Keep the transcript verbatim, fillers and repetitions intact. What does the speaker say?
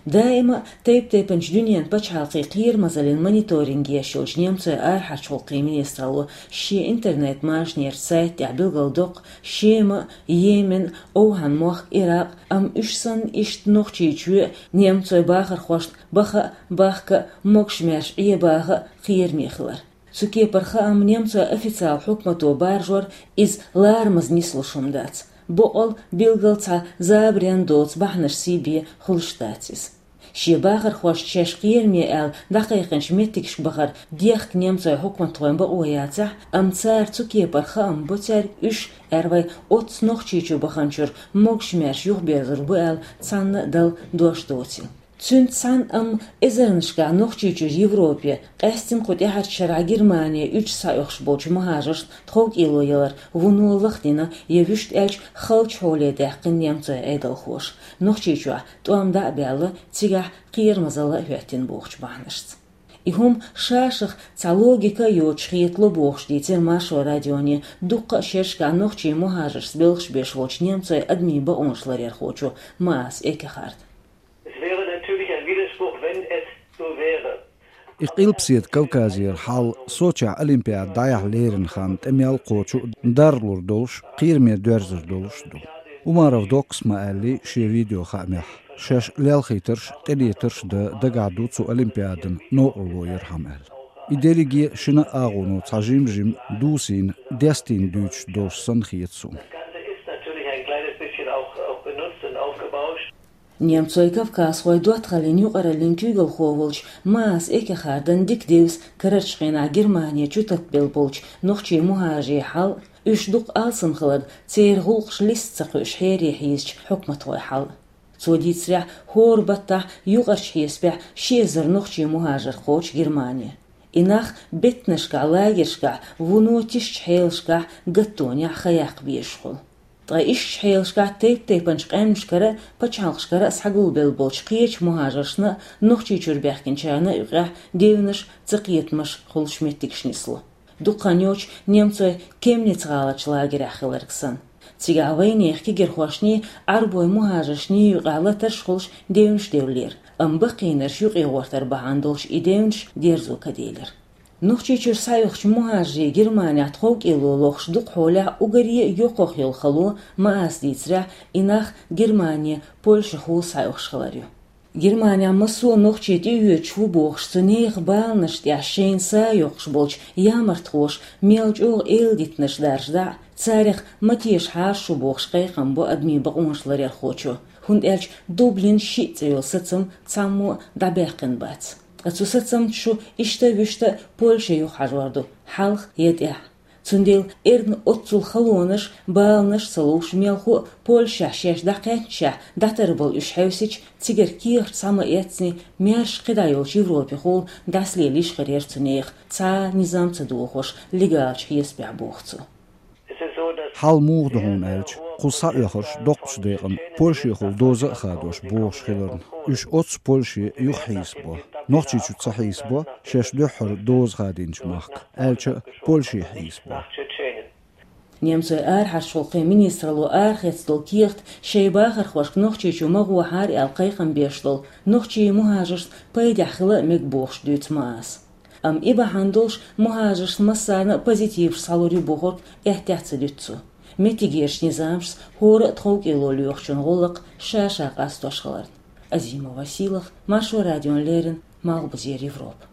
Даима а тайп-тайпанчу дуьненан пачхьалкхийн кхерамазаллин мониторинг еш йолчу немцойн арахьарчу гӀуллакхийн министралло шен интернет-мажанера сайта тӀехь билгалдоккху Шема, Йемен, ОвхӀан-мохк, Иракъ, амма уьш санна иштта Нохчийчоь немцойн бахархошна баха а, бахка а, могуш-маьрша Ӏен баха а кхераме хилар. Цу кепара хаам немцойн официалан хьукмато баржор иза ларамаза нислуш хӀума дац. Бакъ а, билггал цхьа забаренна доцу бахьанаш сий бен хуьлуш дац иза. Шен бахархошна шаьш кхераме аьлла дӀакхайкхинчу меттигашка бахар дехка немцойн хьукматхойн бакъо яцахь а, амма цара цу кепара хаам бо церан уьш, аьрру вай, оццу Нохчийчу баханчуьра могуш-маьрша юхаберзор бу аьлла цхьанна а дала дош доцийла. Цуьнца цхьаьна амма эзарнашкахь Нохчийчуьра Европе, къаьсттина кху тӀаьхьарчу шарахь Германе уьдуш схьаоьхуш болчу мухӀажаршна тховкӀело ялар вуно лахдина я вуьшта аьлча халчу хьоле даьккхина немцойн Ӏедалхоша. Нохчийчохь тӀом дӀа а баьлла, цигахь кхерамазалла а хӀоьттина бохучу бахьанашца. И хӀума ша-шах цхьа логика а йоцуш хетало бохуш дийцира Маршо радионе дуккха а шерашкахь нохчийн мухӀажаршца белхаш беш волчу немцойн адамийн бакъонаш ларъярхочо Маас Эккехарда. Es wäre natürlich ein Widerspruch, wenn es so wäre. И Къилбаседа Кавказера хьал Сочехь Олимпиада дӀаяхьа леррина хан тӀе мел кхочу а, даржалур долуш, кхераме доьрзур долуш а ду. Умаров Доккас ма-аьллий шен видеохаамехь, шаьш лелхийтарш а, тӀелетарш а дан дагахь ду цу Олимпиадана новкъарло ярхьама аьлла. И дерриге а шина а агӀоно цхьа жим-жима дусийна, дестийна дуьйцуш долуш санна хета суна. Немцойн кавказхойн доттагӀаллин юкъараллин куьйгалхо волчу Маас Эккехардан дика девза карарчу хенахь Германе чу таппабелла болчу нохчийн мухӀажарийн хьал а, уьш дукха алсам хиларна, церан гӀуллакхаш листа ца кхуьуш хьере хьийзачу хьукматхойн хьал а. Цо дийцарехь, хӀора баттахь юкъарчу хьесапехь ши эзар нохчийн мухӀажар кхочу Германе. И нах беттанашкахь, лагершкахь, вуно тишачу хьелашкахь, гаттонехь хан яккха безаш хуьлу. Ткъа ишттачу хьелашкахь тайп-тайпанчу къаьмнашкара а, пачхьалкхашкара а схьагулбелла болчу кхечу мухӀажаршна а, Нохчийчуьра баьхкинчарна а юкъахь девнаш а, цакхетамаш а хуьлуш меттигаш нисло. Дукха хан йоццуш немцойн Кемниц-гӀаларчу лагерехь хиларг санна. Цигахь вайнехан кегирхошний, Ӏарбойн мухӀажаршний юкъахь латарш а хуьлуш девнаш девллера, амма баккхийнарш юкъе гӀортар бахьана долуш и девнаш дерзо каделира. Нохчийчуьра схьаоьхучу мухӀажарийн Германехь тховкӀело лохуш дукха хьолехь уггаре а йоккхах йолу хало, Мааса дийцарехь, и нах Германе Польшахула схьаоьхуш хилар ю. Германехь массо а нохчий тӀеоьцуш ву бохуш, цу нехан баланаш тӀехь шайна са йоккхуш болчу ямартхоша мел чӀогӀа эладитанаш даржадахь а, царех ма теша хьарчаш ву бохуш кхайкхам бо адамийн бакъонаш ларъярхочо, хӀунда аьлча Дублин шиъ цӀе йолу сацам цхьаммо а дӀабаьккхина бац. Ткъа цу сацамца шу иштта а, вуьшта а Польше юхахьажор ду, хьалха я тӀаьхьа. Цундела эрна оццул халонаш, баланаш а ца луш, мелхо а Польшехь шаьш дӀакхаьчначехь дӀатарбала уьш хьевсича, цигара кехат схьа ма эцний, маьрша кхидӀа йолчу Европехула дӀасалелийш хир яра цу нехан, цхьа а низам ца дохош, легалчу хьесапехь, боху цо. Хьал муха ду хьуна аьлча, кху схьаоьхурш доккхачу декъана Польшехула доза а хадош богӀуш хиларна, уьш оццу Польше юхахьийсабо. Нохчийчу ца хьийсабо, шаьш дуьххьара доза хадийначу махка, аьлча а Польше хьийсабо. Немцойн арахьарчу гӀуллакхийн министралло арахецна долу кехат шайн бахархошка Нохчийчу ма гӀохьара аьлла кхайкхам беш долу нохчийн мухӀажаршна пайдехь хила а мега бохуш дуьйцу Мааса. Амма и бахьана долуш мухӀажаршна массарна а позитиваш схьалур ю бохург аьттехьа ца дуьту цо. Меттигерчу низамашца хӀора а тховкӀело лоьхучун гӀуллакх ша-ша къастош хиларна. Азимова Силах, Маршо радиона леррина, Малхбузера Европа.